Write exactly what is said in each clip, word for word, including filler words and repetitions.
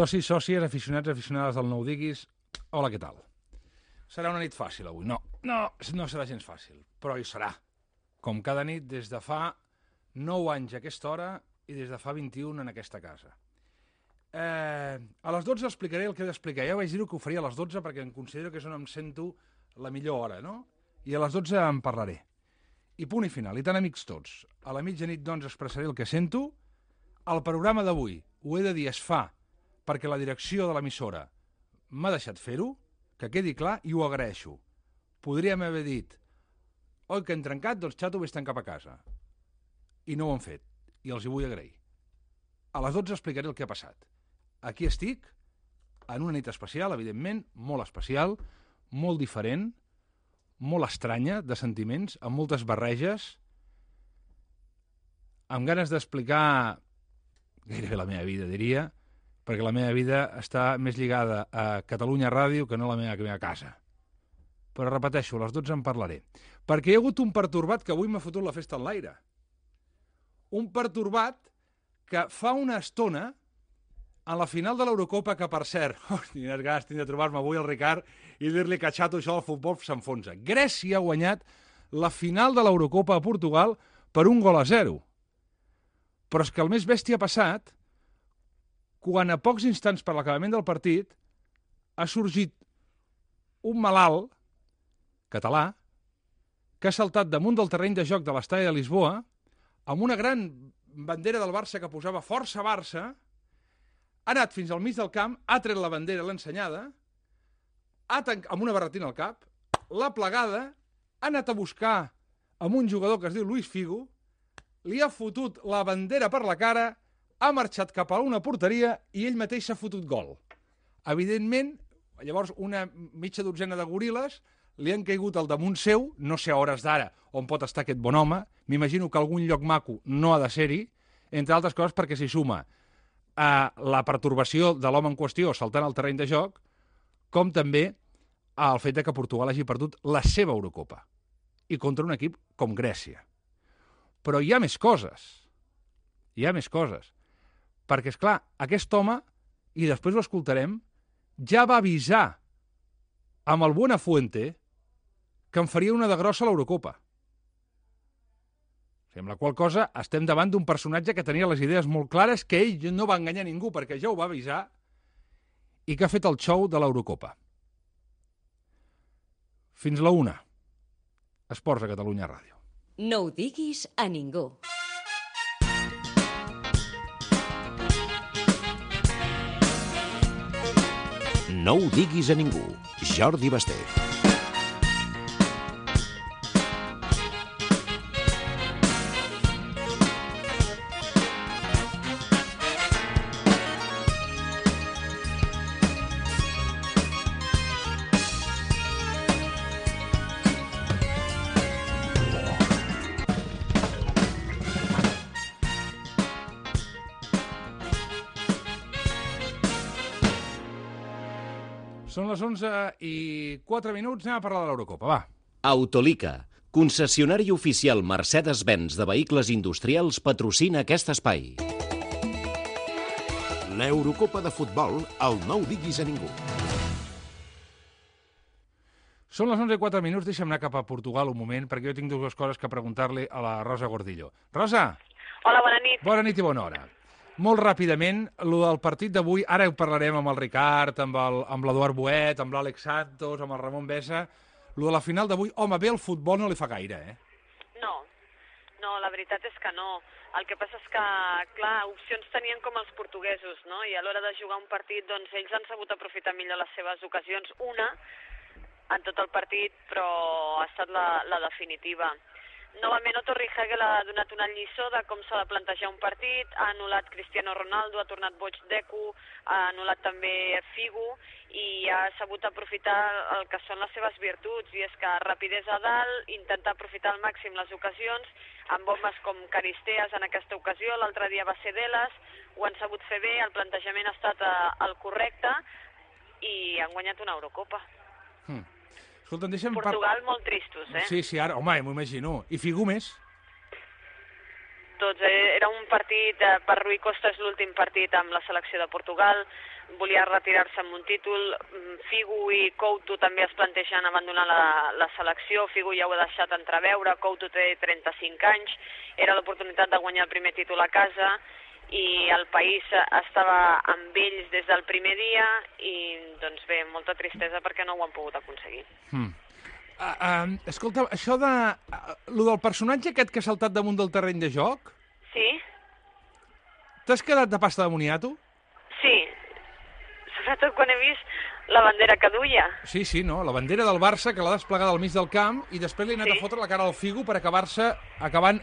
Socis, sòcies, aficionats, aficionades del Nou Diguis, hola, què tal? Serà una nit fàcil avui. No, no, no serà gens fàcil, però hi serà. Com cada nit des de fa nou anys a aquesta hora i des de fa vint-i-un en aquesta casa. Eh, a les dotze explicaré el que he d'explicar. Ja vaig dir que ho faria a les dotze perquè em considero que és on em sento la millor hora, no? I a les dotze en parlaré. I punt i final, i tan amics tots. A la mitjanit, doncs, expressaré el que sento. El programa d'avui, ho he de dir, es fa perquè la direcció de l'emissora m'ha deixat fer-ho, que quedi clar, i ho agraeixo. Podríem haver dit, oi que hem trencat, doncs xato, vés-te'n cap a casa. I no ho han fet, i els hi vull agrair. A les dotze explicaré el que ha passat. Aquí estic, en una nit especial, evidentment, molt especial, molt diferent, molt estranya, de sentiments, amb moltes barreges, amb ganes d'explicar gairebé la meva vida, diria, perquè la meva vida està més lligada a Catalunya Ràdio que no a la meva, meva casa. Però repeteixo, a les dotze en parlaré. Perquè hi ha hagut un pertorbat que avui m'ha fotut la festa en l'aire. Un pertorbat que fa una estona, a la final de l'Eurocopa, que per cert, oh, quines ganes tinc de trobar-me avui el Ricard i dir-li que xato això del futbol s'enfonsa. Grècia ha guanyat la final de l'Eurocopa a Portugal per un gol a zero. Però és que el més bèstia ha passat quan a pocs instants per l'acabament del partit ha sorgit un malalt català que ha saltat damunt del terreny de joc de l'estadi de Lisboa amb una gran bandera del Barça que posava Força Barça, ha anat fins al mig del camp, ha tret la bandera, l'ha ensenyada, ha tanc... amb una barretina al cap, l'ha plegada, ha anat a buscar amb un jugador que es diu Luis Figo, li ha fotut la bandera per la cara, ha marxat cap a una porteria i ell mateix s'ha fotut gol. Evidentment, llavors una mitja dotzena de goril·les li han caigut al damunt seu, no sé a hores d'ara on pot estar aquest bon home, m'imagino que algun lloc maco no ha de ser-hi, entre altres coses perquè s'hi suma a la pertorbació de l'home en qüestió saltant al terreny de joc, com també al fet que Portugal hagi perdut la seva Eurocopa i contra un equip com Grècia. Però hi ha més coses. Hi ha més coses. Perquè, és clar, aquest home, i després ho escoltarem, ja va avisar amb el Buenafuente que en faria una de grossa a l'Eurocopa. Amb la qual cosa estem davant d'un personatge que tenia les idees molt clares, que ell no va enganyar ningú perquè ja ho va avisar, i que ha fet el show de l'Eurocopa. Fins la una. Esports a Catalunya Ràdio. No ho diguis a ningú. No ho diguis a ningú. Jordi Basté. Són les onze i quatre minuts, anem a parlar de l'Eurocopa, va. Autolica, concessionari oficial Mercedes-Benz de vehicles industrials, patrocina aquest espai. L'Eurocopa de futbol, al No ho diguis a ningú. Són les onze i quatre minuts, deixa'm anar cap a Portugal un moment, perquè jo tinc dues coses que preguntar-li a la Rosa Gordillo. Rosa! Hola, bona nit. Bona nit i bona hora. Molt ràpidament, el del partit d'avui, ara ho parlarem amb el Ricard, amb l'Eduard Boet, amb l'Àlex Santos, amb el Ramon Besa. El de la final d'avui, home, bé, el futbol no li fa gaire, eh? No, no, la veritat és que no. El que passa és que, clar, opcions tenien com els portuguesos, no? I a l'hora de jugar un partit, doncs ells han sabut aprofitar millor les seves ocasions. Una, en tot el partit, però ha estat la, la definitiva. Novament, Otto Rehhagel ha donat una lliçó de com s'ha de plantejar un partit, ha anul·lat Cristiano Ronaldo, ha tornat boig Deco, ha anul·lat també Figo i ha sabut aprofitar el que són les seves virtuts, i és que rapidesa a dalt, intentar aprofitar al màxim les ocasions, amb bombes com Caristeas en aquesta ocasió, l'altre dia va ser Delas, ho han sabut fer bé, el plantejament ha estat el correcte i han guanyat una Eurocopa. Hmm. Escolta'm, deixa'm... Portugal par... molt tristos, eh? Sí, sí, ara, home, m'ho imagino. I Figo més? Tots, eh? Era un partit, eh, per Rui Costa és l'últim partit amb la selecció de Portugal, volia retirar-se amb un títol. Figo i Couto també es plantegen abandonar la, la selecció. Figo ja ho ha deixat entreveure, Couto té trenta-cinc anys, era l'oportunitat de guanyar el primer títol a casa i el país estava amb ells des del primer dia i, doncs bé, molta tristesa perquè no ho han pogut aconseguir. Hmm. Uh, uh, escolta, això de... Uh, lo del personatge aquest que ha saltat damunt del terreny de joc... Sí? T'has quedat de pasta de moniato? Sí, sobretot quan he vist la bandera que duia. Sí, sí, no? La bandera del Barça que l'ha desplegada al mig del camp i després li ha anat sí. a fotre la cara al Figo per acabar-se acabant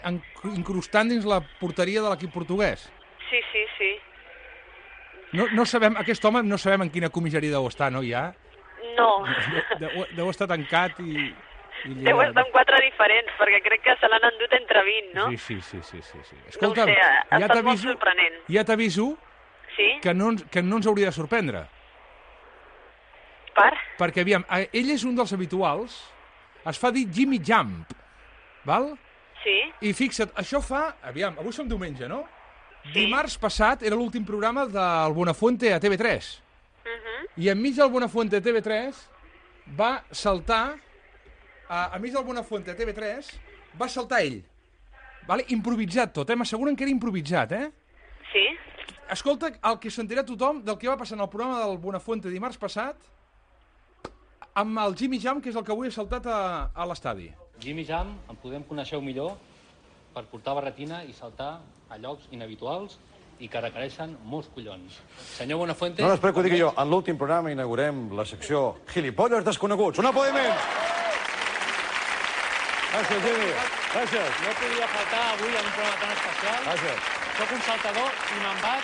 incrustant dins la porteria de l'equip portuguès. Sí, sí, sí. No, no sabem, aquest home no sabem en quina comissaria deu estar, no, ja? No. Deu, deu estar tancat i... i deu estar en quatre diferents, perquè crec que se l'han endut entre vint, no? Sí, sí, sí, sí, sí, sí. Escolta, no ho sé, ha ja estat molt sorprenent. Ja t'aviso sí? que, no, que no ens hauria de sorprendre. Per? Perquè, aviam, ell és un dels habituals, es fa dir Jimmy Jump, val? Sí. I fixa't, això fa... Aviam, avui som diumenge, no? Sí. Dimarts passat era l'últim programa del Buenafuente a T V tres. Uh -huh. I enmig del Buenafuente a T V tres va saltar... A, enmig del Buenafuente a T V tres va saltar ell. Vale? Improvisat tot, eh? M'asseguren que era improvisat, eh? Sí. Escolta el que sentirà tothom del que va passar en el programa del Buenafuente dimarts passat amb el Jimmy Jam, que és el que avui ha saltat a, a l'estadi. Jimmy Jam, en podem conèixer millor per portar barretina i saltar a llocs inhabituals i que requereixen molts collons. Senyor Buenafuente... No després que ho digui jo, en l'últim programa inaugurem la secció Gilipolles desconeguts. Un aplaudiment! Gràcies, Jimmy. Gràcies. No podia faltar avui en un programa tan especial. Gràcies. Soc un saltador i me'n vaig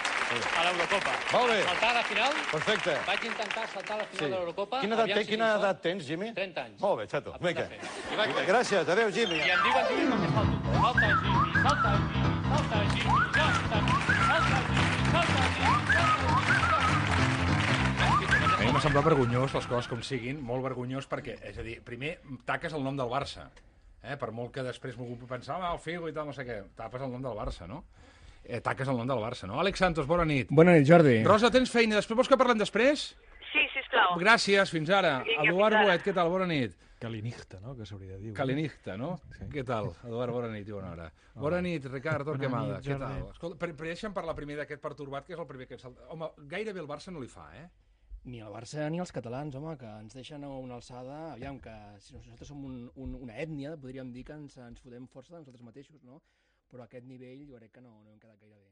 a l'Eurocopa. Molt bé. Saltar a la final. Perfecte. Vaig intentar saltar a la final Sí. de l'Eurocopa. Quina edat, Aviam té, si quina tinc edat sort. tens, Jimmy? trenta anys. Molt bé, xato. A punt de Vinga. fer. I vaig fer. Gràcies. Adéu, Jimmy. I em diuen Jimmy perquè salto. Salta, Jimmy, salta, Jimmy, salta, Jimmy, salta, Jimmy, salta, Jimmy, salta, Jimmy, salta, A mi m'ha semblat vergonyós, les coses com siguin, molt vergonyós, perquè, és a dir, primer taques el nom del Barça, eh? Per molt que després m'ho puc pensar, ah, el Figo i tal, no sé què, tapes el nom del Barça, no? Eh, taques el nom del Barça, no? Àlex Santos, bona nit. Bona nit, Jordi. Rosa, tens feina, després vols que parlem després? Sí, sisplau. Gràcies, fins ara. Vinga, Eduard fins ara. Boet, què tal? Bona nit. Calinigta, no?, que s'hauria de dir. Calinigta, no? Sí. Què tal? Eduard, bona nit i bona hora. Bona nit, Ricard Torquemada, què tal? Escolta, per, per deixa'm parlar primer d'aquest pertorbat, que és el primer que et salta. Home, gairebé el Barça no li fa, eh? Ni el Barça ni els catalans, home, que ens deixen a una alçada... Aviam, que si nosaltres som un, un, una ètnia, podríem dir que ens, ens fotem força de nosaltres mateixos, no? Però a aquest nivell jo crec que no, no hem quedat gaire bé.